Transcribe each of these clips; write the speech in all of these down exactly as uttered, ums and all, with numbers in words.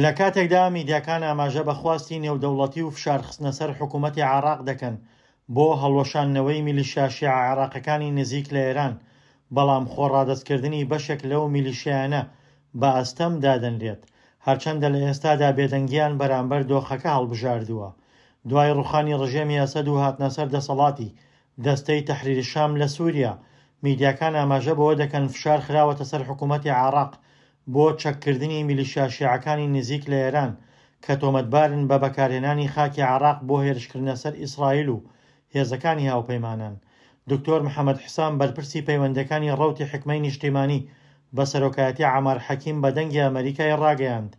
لە کاتێکدا میدیاکان ئاماژە بە خواستی نێودەوڵەتی و فشارخستنە سەر حکوومەتی عێراق دەکەن بۆ هەڵوەشاندنەوەی میلیشیا شیعە عێراقیەکانی نزیک لە ئێران، بەڵام خۆڕادەستکردنی بەشێک لەو میلیشیایانە بە ئەستەم دادەنرێت، هەرچەندە لە ئێستادا بێدەنگیان بەرامبەر دۆخەکە هەڵبژاردووە. دوای ڕوخانی ڕژێمی ئەسەد و هاتنەسەر دەسەڵاتی دەستەی تەحریر شام لە سووریا، میدیاکان ئاماژە بەوە دەکەن فشار خراوەتە سەر حکوومەتی عێراق بۆ چەککردنی میلیشیا شیعەکانی نزیک لە ئێران کە تۆمەتبارن بە بەکارهێنانی خاکی عێراق بۆ هێرشکردنە سەر ئیسرائیل و هێزەکانی هاوپەیمانان. دکتۆر محەمەد حسام بەرپرسی پەیوەندیەکانی ڕەوتی حیکمەی نیشتیمانی بە سەرۆکایەتی عەمار حەکیم بە دەنگی ئەمەریکای ڕاگەیاند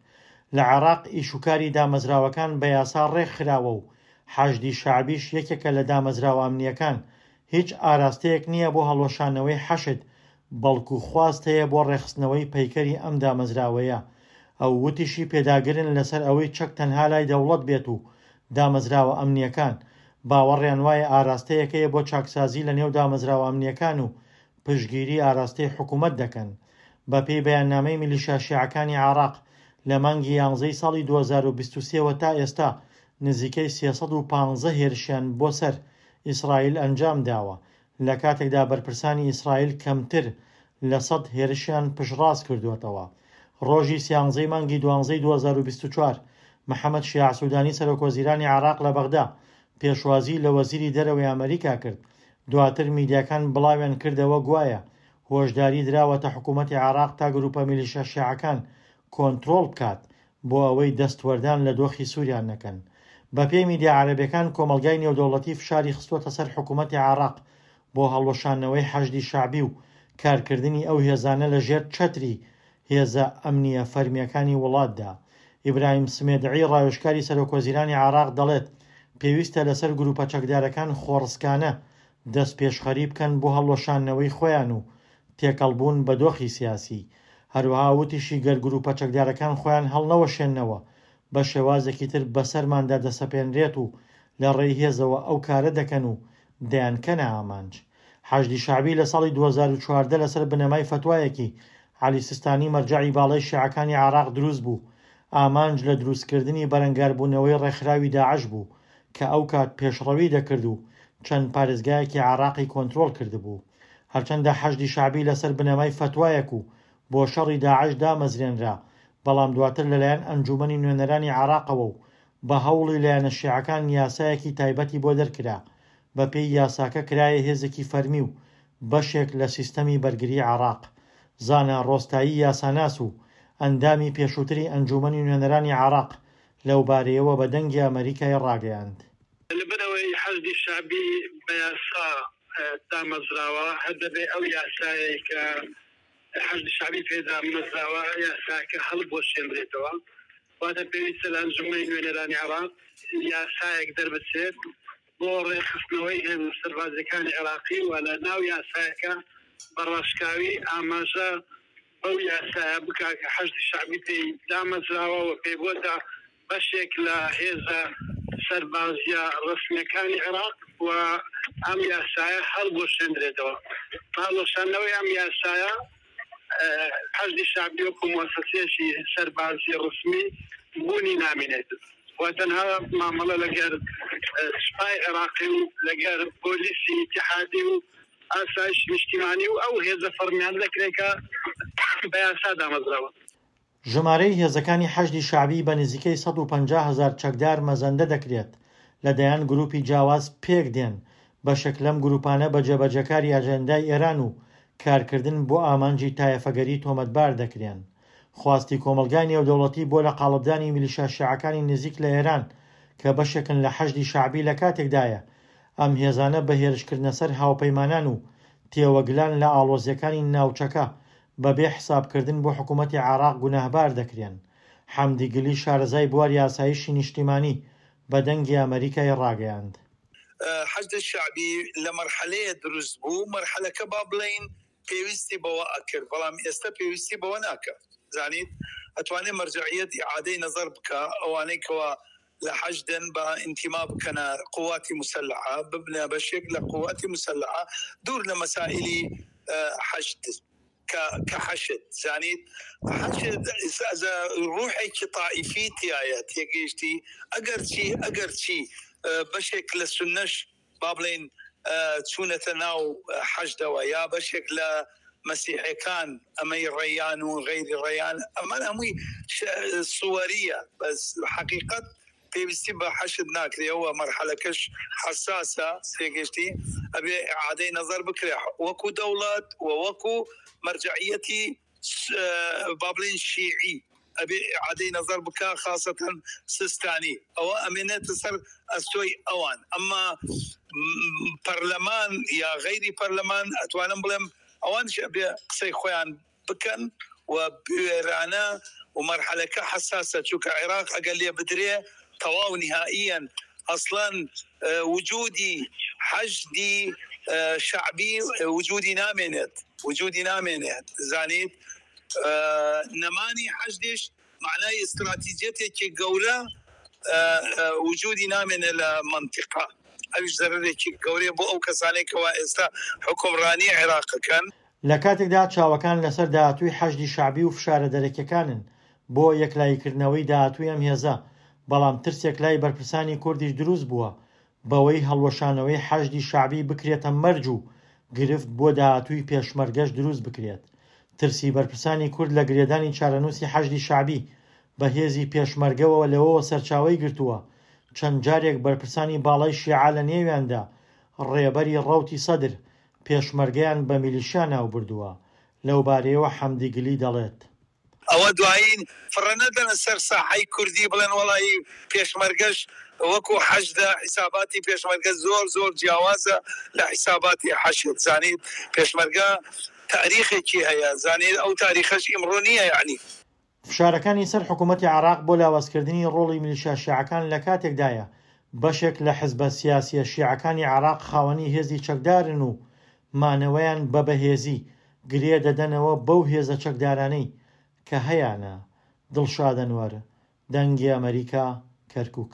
لە عێراق ئیشوکاری دامەزراوەکان بە یاسا ڕێکخراوە و حەشدی شەعبیش یەکێکە لە دامەزراوە ئەمنییەکان، هیچ ئاراستەیەک نییە بۆ هەڵوەشاندنەوەی حەشد، بەڵکو خواست هەیە بۆ ڕێکخستنەوەی پەیکەری ئەم دامەزراوەیە. ئەو وتیشی پێداگرن لەسەر ئەوەی چەک تەنها لای دەوڵەت بێت و دامەزراوە ئەمنییەکان باوەڕیان وایە ئاراستەیەک هەیە بۆ چاکسازی لەنێو دامەزراوە ئەمنییەکان و پشتگیری ئاراستەی حکومەت دەکەن. بەپێی بەیاننامەی میلیشیا شیعەکانی عێراق، لە مانگی یانزەی ساڵی دوو هەزار و بیست و سێ وە تا ئێستا نزیکەی سێ سەد و پازدە هێرشیان بۆ سەر ئیسرائیل ئەنجام داوە، لە کاتێکدا بەرپرسانی ئیسرائیل کەمتر لە سەد هێرشیان پشتڕاست کردووەتەوە. ڕۆژی سیانزەی مانگی دوانزەی دوو هەزار و بیست و چوار محەمەد شیاع سودانی سەرۆکوەزیرانی عێراق لە بەغدا پێشوازی لە وەزیری دەرەوەی ئەمەریکا کرد، دواتر میدیاکان بڵاویان کردەوە گوایە هۆشداری دراوەتە حکوومەتی عێراق تا گروپە میلیشیا شیعەکان کۆنترۆڵ بکات بۆ ئەوەی دەستوەردان لە دۆخی سووریا نەکەن. بەپێی میدیا عەرەبیەکان کۆمەڵگای نێودەوڵەتی فشاری خستووەتە سەر حکوومەتی عێراق بۆ هەڵوەشاندنەوەی حەشدی شەعبی و کارکردنی ئەو هێزانە لە ژێر چەتری هێزە ئەمنییە فەرمییەکانی وڵاتدا. ئیبراهیم سمێدعی ڕاوێژکاری سەرۆکوەزیرانی عێراق دەڵێت پێویستە لەسەر گروپە چەکدارەکان خۆڕسکانە دەستپێشخەری بکەن بۆ هەڵوەشاندنەوەی خۆیان و تێکەڵبوون بە دۆخی سیاسی. هەروەها وتیشی گەر گروپە چەکدارەکان خۆیان هەڵنەوەشێننەوە بە شێوازێکی تر بەسەرماندا دەسەپێنرێت و لە ڕێی هێزەوە ئەو کارە دەکەن و دەیانکەنە ئامانج. حەشدی شەعبی لە ساڵی دوو هەزار و چواردە لەسەر بنەمای فەتوایەکی عەلی سیستانی مەرجەعی باڵای شیعەکانی عێراق دروست بوو، ئامانج لە دروستکردنی بەرەنگاربوونەوەی ڕێکخراوی داعش بوو کە ئەوکات پێشڕەوی دەکرد و چەند پارێزگایەکی عێراقی کۆنترۆڵ کردبوو. هەرچەندە حەشدی شەعبی لەسەر بنەمای فەتوایەک و بۆ شەڕی داعش دامەزرێنرا، بەڵام دواتر لەلایەن ئەنجومەنی نوێنەرانی عێراقەوە و بە هەوڵی لایەنە شیعەکان یاسایەکی تایبەتی بۆ دەرکرا، بەپێی یاساکە کرایە هێزێکی فەرمی و بەشێک لە سیستەمی بەرگری عێراق. زانا ڕۆستایی یاساناس و ئەندامی پێشووتری ئەنجومەنی نوێنەرانی عێراق لەوبارەیەوە بە دەنگی ئەمەریکای ڕاگەیاند. لەبەرئەوەی حەشدی شەعبی بە یاسا دامەزراوە، هەر دەبێ ئەو یاسایەی کە حەشدی شەعبی پێ دامەزراوە یاساکە هەڵبوەشێنرێتەوە. واتە پێویستە لە ئەنجومەنی نوێنەرانی عێراق یاسایەک دەربچێت بۆ ڕێکخستنەوەی هێزە سەربازیەکانی عێراقی و لە ناو یاسایەکە بە ڕاشکاوی ئاماژە بەو یاسایە بکا کە حەشدی شەعبی پێی دامەزراوە و پێی بۆتە بەشێک لە هێزە سەربازیە ڕەسمیەکانی عێراق و ئەم یاسایە هەڵبوەشێندرێتەوە. بە هەڵوەشاندنەوەی ئەم یاسایە حەشدی شەعبی وەکو موەسەسەیەکی سەربازی ڕەسمی بوونی نامینێت و تەنها مامەڵە لەگەر سوپای عێراقی و لەگەر پۆلیسی ئیتیحادی و ئاسایشی نیشتیمانی و ئەو هێزە فەڕمیانە دەکرێت کە بە یاسا دامەزراون. ژمارەی هێزەکانی حەشدی شەعبی بە نزیکەی سەد و پەنجا هەزار چەکدار مەزەندە دەکرێت، لە دەیان گروپی جیاواز پێکدێن، بەشێک لەم گروپانە بە جێبەجێکاری ئەجێندای ئێران و کارکردن بۆ ئامانجی تایەفەگەری تۆمەتبار دەکرێن. خواستی کۆمەڵگای نێودەوڵەتی بۆ لە قاڵبدانی میلیشیا شیعەکانی نزیک لە ئێران کە بەشێکن لە حەشدی شەعبی لە کاتێکدایە ئەم هێزانە بە هێرشکردنە سەر هاوپەیمانان و تێوەگلان لە ئاڵۆزییەکانی ناوچەکە بەبێ حسابکردن بۆ حکومەتی عێراق گوناهبار دەکرێن. حەمدی گلی شارەزای بواری ئاسایشی نیشتیمانی بە دەنگی ئەمەریکای ڕاگەیاند. حەشد شەعبی لە مەرحەلەیە دروست بوو، مەرحەلەکە با بڵێین پێویستی بەوە ئەکرد، بەڵام ئێستا پێویستی بەوە ناکات. زانیت ئەتوانێ مەرجەعیەت ئیعادەی نەزەر بکا، ئەوانەی کەوا لە حەشدن با ئینتیما بکەنە قواتی موسەلەحە، ببنە بەشێک لە قواتی موسەلەحە دوور لە مەسائیلی حەشد. کە کە حەشد زانیت حەشد ڕوحێکی تائیفی تایە تێگەیشتی ئەگەرچی ئەگەرچی بەشێک لە سوننەش با بڵێین چوونەتە ناو حەشدەوە یا بەشێک لە مەسیحەکان ئەمەی ڕێیان و غەیری ڕێیان ئەمان هەمووی سوەریە بەس حەقیقەت پێویستی بە حەشد ناکرێەوە مەرحەلەکەش حەساسە تێگەشتی ئەبێ ئیعادەی نەزەر بکرێ وەکو دەوڵەت و وەکو مەرجەعیەتی با بڵێین شیعی ئەبێ ئیعادەی نەزەر بکا خاسەتەن سیستانی ئەوە ئەمێنێتە سەر ئەستۆی ئەوان ئەمما پەرلەمان یا غەیری پەرلەمان ئەتوانم بڵێم ئەوانش ئەبێ قسەی خۆیان بکەن و بوێرانە و مەرحەلەکە حەساسە چونکە عێراق ئەگەر لێ بدرێ تەواو نهائیەن ئەسڵەن وجودی حەشدی شەعبی وجودی نامێنێت وجودی نامێنێت زانیت نەمانی حەشدیش معنای ئیستراتیجیەتێکی گەورە وجودی نامێنێ لە مەنتیقە ئەویش زەرەرێکی گەورەیە بۆ ئەو کەسانەی کەوا ئێستا حوکمڕانی عێراقەکەن. لە کاتێکدا چاوەکان لەسەر داهاتووی حەشدی شەعبی و فشارە دەرەکیەکانن بۆ یەکلاییکردنەوەی داهاتووی ئەم هێزە، بەڵام ترسێک لای بەرپرسانی کوردیش دروست بووە بەوەی هەڵوەشانەوەی حەشدی شەعبی بکرێتە مەرج و گرفت بۆ داهاتووی پێشمەرگەش دروست بکرێت. ترسی بەرپرسانی کورد لە گرێدانی چارەنووسی حەشدی شەعبی بە هێزی پێشمەرگەوە لەوەوە سەرچاوەی گرتووە چەند جارێک بەرپرسانی باڵای شیعە لە نێویاندا ڕێبەری ڕەوتی سەدر پێشمەرگەیان بە میلیشیا ناوبردووە. لەوبارەیەوە حەمدی گلی دەڵێت. ئەوە دوایین فڕە نەدەنە سەر ساحەی کوردی بڵێن وەڵایی پێشمەرگەش وەکو حەشدە، حیساباتی پێشمەرگە زۆر زۆر جیاوازە لە حیساباتی حەشد، زانیت پێشمەرگە تاریخێکی هەیە، زانیت ئەو تاریخەش ئیمڕۆ نییە یەعنی. فشارەکانی سەر حکوومەتی عێراق بۆ لاوازکردنی ڕۆڵی میلیشیا شیعەکان لە کاتێکدایە بەشێک لە حزبە سیاسیە شیعەکانی عێراق خاوەنی هێزی چەکدارن و مانەوەیان بە بەهێزی گرێ دەدەنەوە بەو هێزە چەکدارانەی کە هەیانە. دڵشاد ئەنوەر، دەنگی ئەمەریکا، کەرکوک.